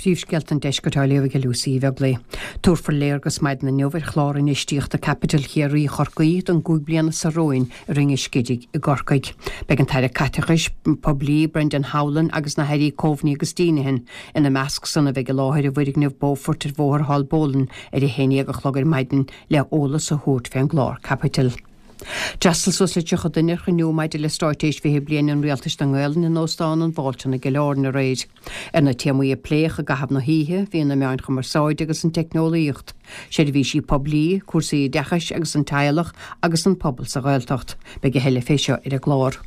Príomhscéalta an Deiscirt á léamh ag Lucy Uí Bheaglaoi. Tabharfar léargas maidin inniu ar chlár infheistíochta caipitil Chiarraí Chorcaí don gcúig bliana seo romhainn i Rinn an Scidígh i gCorcaigh. Beidh an tAire Caiteachais Poiblí Brendan Howlin agus na hAirí Coveney agus Deenihan ina measc san a bheidh i láthair i bhfoirgneamh Beaufort ar Bhóthar Haulbowline ar a 11 a chlog ar maidin le eolas a thabhairt fén gclár caipitil. D'fhreastail suas le 30 duine ar chruinniú maidir le Straitéis 20 Bliain an Rialtais don nGaelainn in Óstán an Mhalton i gCill Airne aréir. Ar na téamaí a pléadh i gcaitheamh na hoíche bhí na meáin chumarsáide agus an teicneolaíocht, seirbhísí poiblí, cúrsaí oideachais agus an teaghlach agus an pobal sa Ghaeltacht. Beidh a thuilleadh fé seo ar an gclár.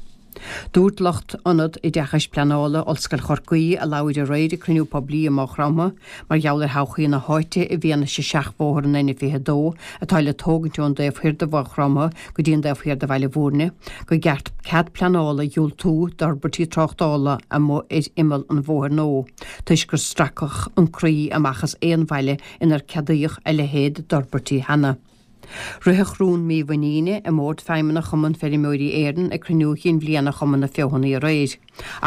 Dúirt lucht Ionad Oideachais Pleanála Ollscoil Chorcaí, a labhair aréir ag cruinniú poiblí i Maigh Chromtha, mar gheall ar thodhchaí na háite i bhfianaise seachbhóthar an N22 atá le tógaint ón dtaobh thoir de Mhaigh Chromtha go dtí an taobh thiar de Bhaile Bhúirne, gur cheart cead pleanála a dhiúltú d'fhorbairtí tráchtála amuigh ar imeall an bhóthair nua toisc gur stracadh an croí amach as aon bhaile inar ceadaíodh a leithéid d'fhorbairtí cheana. Ritheadh rún mímhuiníne i mBord Feidhmeannach Chumann Feirmeoirí Éireann ag cruinniú chinn bhliana Chumann na Feothanaí aréir.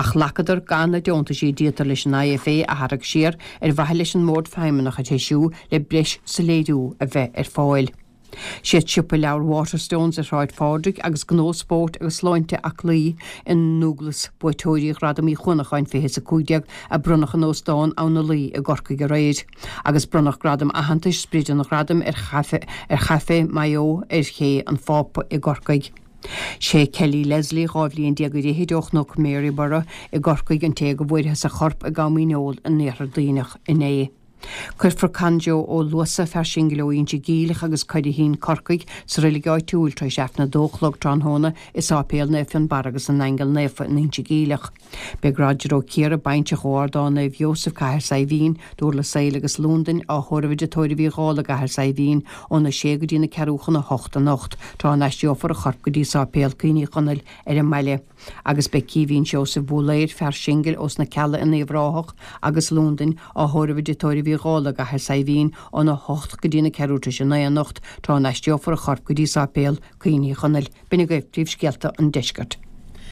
Ach ghlacadar gan na deontaisí a d'íoctar leis an IFA a tharrac siar ar mhaithe leis an mBord Feidhmeannach a threisiú le breis soiléiriú a bheith ar fáil. Siad siopa leabhar Waterstones ar Shráid Phádraig agus gnó spóirt agus sláinte Aclaí i nDúglas buaiteoirí Ghradam Uí Chuanacháin 2015 a bronnadh in Óstán Abha na Laoi i gCorcaigh aréir. Agus bronnadh gradam aitheantais Sprid an Ghradaim ar ar Chaifé Maigh Eo ar Ché an Phápa i gCorcaigh. Sé Kelly Leslie, 12 bhliain ar fhichid ó Chnoc Maryborough i gCorcaigh an té go bhfuarthas a chorp i gCam Fhíneol in Iarthar Duibhneach inné. Cuirfear Con Joe Ó Luasa, fear singil ó Inse Geimhleach agus Curraheen, Corcaigh, sa reilig áitiúil tar éis Aifreann 2 a chlog tráthnóna i Sáipéal Naomh Fionnbarra agus na nAingeal Naofa in Inse Geimhleach. Beidh Roger Ó Ciardha, bainseach ó Ardán Naomh Iósaf, Cathair Saidhbhín, Dúrlas Éile agus Lúndain, á thórramh i dTigh Tórraimh Uí Dhálaigh i gCathair Saidhbhín, óna sé go dtí na ceathrú chun a hocht anocht, tráth a n-aistreofar a chorp go dtí Sáipéal Cuimhní Chonaill ar an mbaile. Agus beidh Caoimhín Seosamh Búlaeir, fear singil ós na Cealla in Uíbh Ráthach agus Lúndain, á thórramh i dTigh Tórraimh Uí Dhálaigh i gCathair Saidhbhín, óna hocht go dtí na ceathrú tar éis a naoi anocht, tráth a n-aistreofar a chorp go dtí Sáipéal Cuimhní Chonaill. B'in agaibh príomhscéalta an deiscirt.